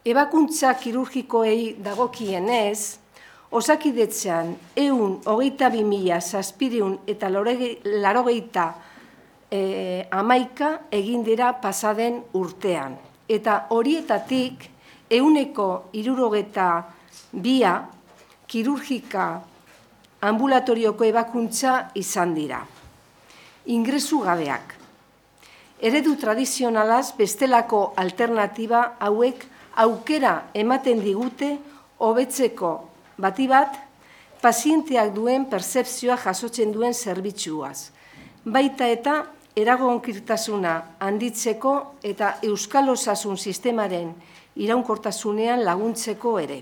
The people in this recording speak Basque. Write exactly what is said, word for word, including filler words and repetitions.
Ebakuntza kirurgikoei dagokienez, Osakidetzan ehun hogeita bi mila zazpiehun eta laurogeita hamaika egin dira pasaden urtean. Eta horietatik ehuneko hirurogeita bia kirurgika ambulatorioko ebakuntza izan dira. Ingresu gabeak. Eredu tradizionalaz bestelako alternatiba hauek aukera ematen digute hobetzeko bati bat, pazienteak duen pertzepzioa jasotzen duen zerbitzuaz. Baita eta eragonkirtasuna handitzeko eta euskal osasun sistemaren iraunkortasunean laguntzeko ere.